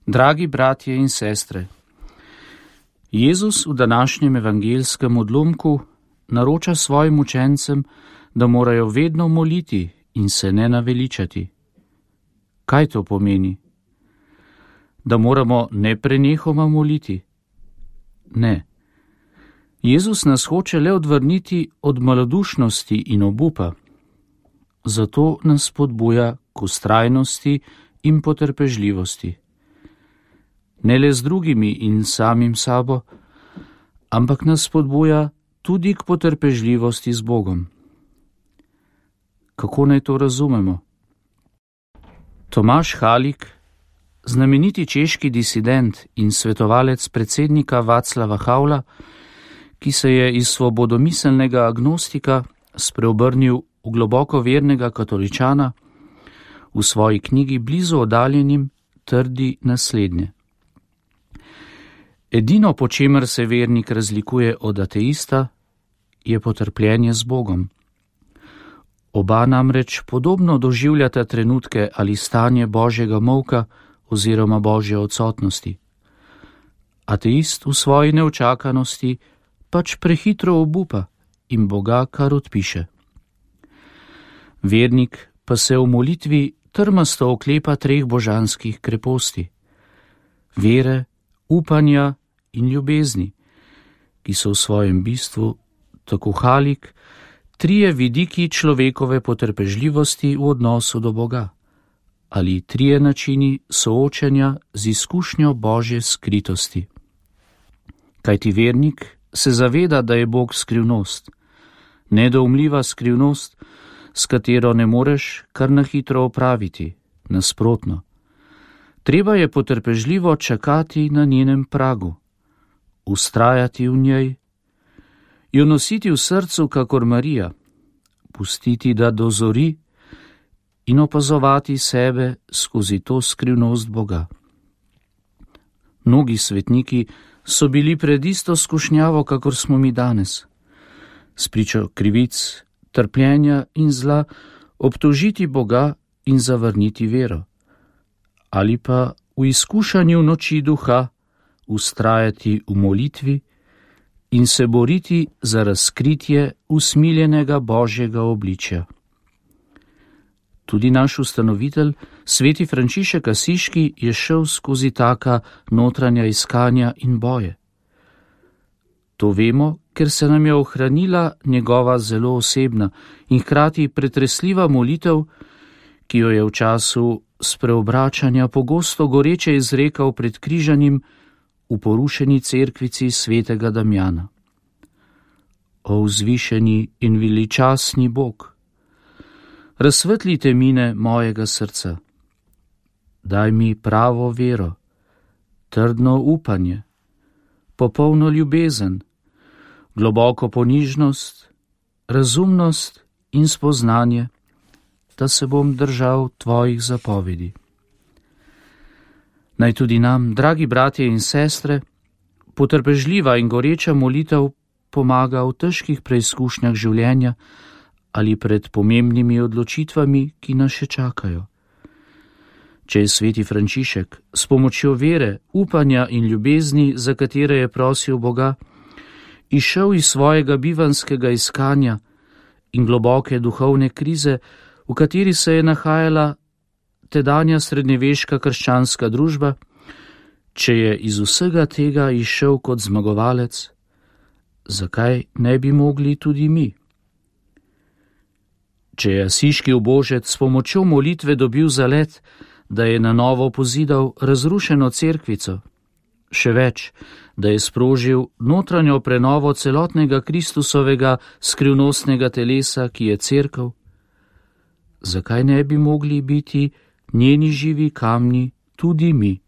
Dragi bratje in sestre, Jezus v današnjem evangelskem odlomku naroča svojim učencem, da morajo vedno moliti in se ne naveličati. Kaj to pomeni? Da moramo neprenehoma moliti? Ne. Jezus nas hoče le odvrniti od malodušnosti in obupa. Zato nas spodbuja k vztrajnosti in potrpežljivosti. Ne le z drugimi in samim sabo, ampak nas spodbuja tudi k potrpežljivosti z Bogom. Kako naj to razumemo? Tomaž Halik, znameniti češki disident in svetovalec predsednika Václava Havla, ki se je iz svobodomiselnega agnostika spreobrnil v globoko vernega katoličana, v svoji knjigi Blizu oddaljenim trdi naslednje. Edino, po čemer se vernik razlikuje od ateista, je potrpljenje z Bogom. Oba namreč podobno doživljata trenutke ali stanje Božjega molka oziroma Božje odsotnosti. Ateist v svoji neučakanosti pač prehitro obupa in Boga kar odpiše. Vernik pa se v molitvi trmasto oklepa treh božanskih kreposti: vere, upanja in ljubezni, ki so v svojem bistvu, tako Halik, trije vidiki človekove potrpežljivosti v odnosu do Boga, ali trije načini soočenja z izkušnjo Božje skritosti. Kajti vernik se zaveda, da je Bog skrivnost, nedoumljiva skrivnost, s katero ne moreš kar na hitro opraviti, nasprotno. Treba je potrpežljivo čakati na njenem pragu, vztrajati v njej, jo nositi v srcu kakor Marija, pustiti, da dozori in opazovati sebe skozi to skrivnost Boga. Mnogi svetniki so bili pred isto skušnjavo, kakor smo mi danes. Spričo krivic, trpljenja in zla obtožiti Boga in zavrniti vero. Ali pa v izkušanju noči duha vztrajati v molitvi in se boriti za razkritje usmiljenega Božjega obličja. Tudi naš ustanovitelj, sveti Frančišek Asiški, je šel skozi taka notranja iskanja in boje. To vemo, ker se nam je ohranila njegova zelo osebna in hkrati pretresljiva molitev, ki jo je v času spreobračanja pogosto goreče izrekal pred križanjem v porušeni cerkvici svetega Damjana. O vzvišeni in veličastni Bog, razsvetlite mine mojega srca, daj mi pravo vero, trdno upanje, popolno ljubezen, globoko ponižnost, razumnost in spoznanje, da se bom držal tvojih zapovedi. Naj tudi nam, dragi bratje in sestre, potrpežljiva in goreča molitev pomaga v težkih preizkušnjah življenja ali pred pomembnimi odločitvami, ki nas še čakajo. Če je sveti Frančišek s pomočjo vere, upanja in ljubezni, za katere je prosil Boga, izšel iz svojega bivanskega iskanja in globoke duhovne krize, v kateri se je nahajala tedanja srednjeveška krščanska družba, če je iz vsega tega izšel kot zmagovalec, zakaj ne bi mogli tudi mi? Če je asiški ubožec s pomočjo molitve dobil zalet, da je na novo pozidal razrušeno cerkvico, še več, da je sprožil notranjo prenovo celotnega Kristusovega skrivnostnega telesa, ki je cerkev, zakaj ne bi mogli biti njeni živi kamni tudi mi?